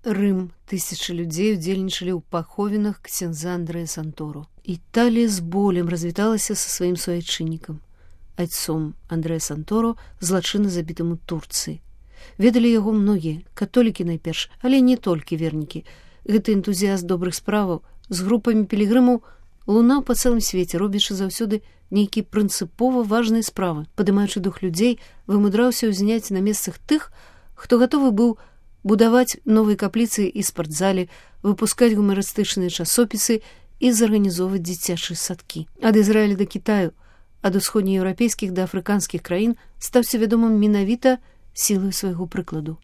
Рым. Тысячы людзей удзельнічалі ў паховінах ксяндза Андрэя Санторо. Італія з болем развіталася са сваім суайчыннікам, айцом Андрэя Санторо, злачынна забітым у Турцыі. Ведалі яго многія, католікі найперш, але не толькі вернікі. Гэты энтузіяст добрых справаў з групамі пілігрымаў лунаў па цэлым свеце, робячы заўсёды нейкія прынцыпова важныя справы. Падымаючы дух людзей, вымудраўся ўзняць на месцах тых, хто гатовы быў будаваць новыя капліцы і спартзалі, выпускаць гумарыстычныя часопісы і зарганізоўваць дзіцячыя садкі. Ад Ізраіля да Кітаю, ад усходнееўрапейскіх да афрыканскіх краін стаўся вядомым менавіта сілай свайго прыкладу.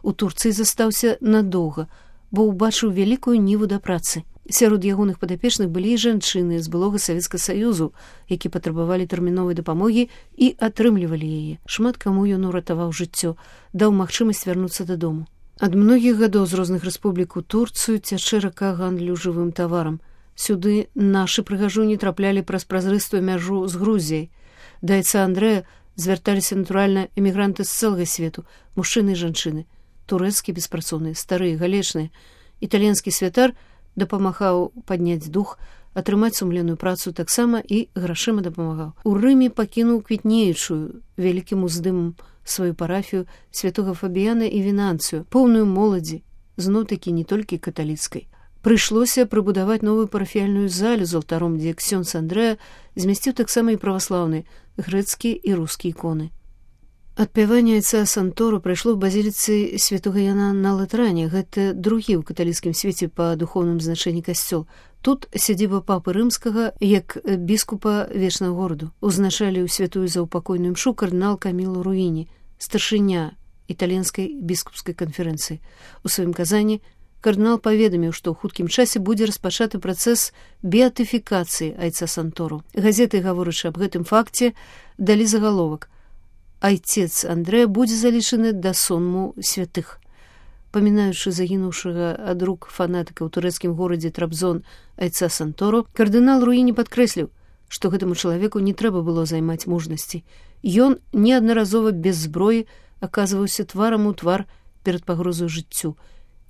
У Турцыі застаўся надоўга, бо ўбачыў вялікую ніву да працы. Сярод ягоных падапечных былі і жанчыны з былога Савецкага Саюзу, які патрабавалі тэрміновай дапамогі і атрымлівалі яе. Шмат каму ён уратаваў жыццё, даў магчымасць вярнуцца дадому. Ад многіх гадоў з розных рэспублік у Турцыю цячэ рака гандлю жывым таварам. Сюды нашы прыгажуні траплялі праз празрыстую мяжу з Грузіяй. Да айца Андрэя звярталіся натуральна эмігранты з цэлага свету, мужчыны і жанчыны, турэцкія беспрацоўныя, старыя, галечныя. Італьянскі святар дапамагаў падняць дух, атрымаць сумленную працу, таксама і грашыма дапамагаў. У Рыме пакінуў квітнеючую вялікім уздымам сваю парафію святога Фабіяна і Вінанцыю, поўную моладзі, зноў-такі не толькі каталіцкай. Прыйшлося прыбудаваць новую парафіяльную залю з алтаром, дзе ксёндз Андрэя змясціў таксама і праваслаўныя, грэцкія і рускія іконы. Адпяванне айца Санторо прайшло ў базіліцы святога Яна на Латране. Гэта другі ў каталіцкім свеце па духоўным значэнні касцёл. Тут сядзіба папы рымскага як біскупа вечнага гораду. Узначаліў святую заупакойную імшу кардынал Каміло Руіні, старшыня італьянскай біскупскай канферэнцыі. У сваім казанні кардынал паведаміў, што ў хуткім часе будзе распачаты працэс беатыфікацыі айца Санторо. Газеты, гаворачы аб гэтым факце, далі загаловак: «Айцец Андрэя будзе залічаны да сонму святых». Памінаючы загінуўшага ад рук фанатыка ў турэцкім горадзе Трабзон айца Санторо, кардынал Руіні падкрэсліў, што гэтаму чалавеку не трэба было займаць мужнасці. Ён неаднаразова без зброі аказваўся тварам у твар перад пагрозаю жыццю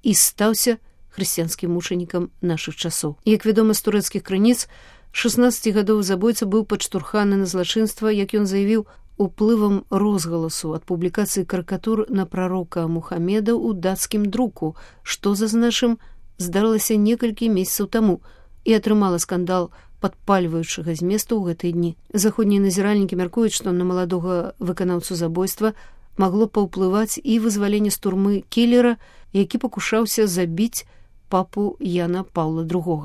і стаўся хрысціянскім мучанікам нашых часоў. Як вядома з турэцкіх крыніц, 16гадовы забойца быў падштурханы на злачынства, як ён заявіў, уплывам розгаласу ад публікацыі карыкатур на прарока Мухамеда ў дацкім друку, што, зазначым, здарылася некалькі месяцаў таму і атрымала скандал падпальваючага зместу ў гэтыя дні. Заходнія назіральнікі мяркуюць, што на маладога выканаўцу забойства магло паўплываць і вызваленне з турмы кілера, які пакушаўся забіць папу Яна Паўла II.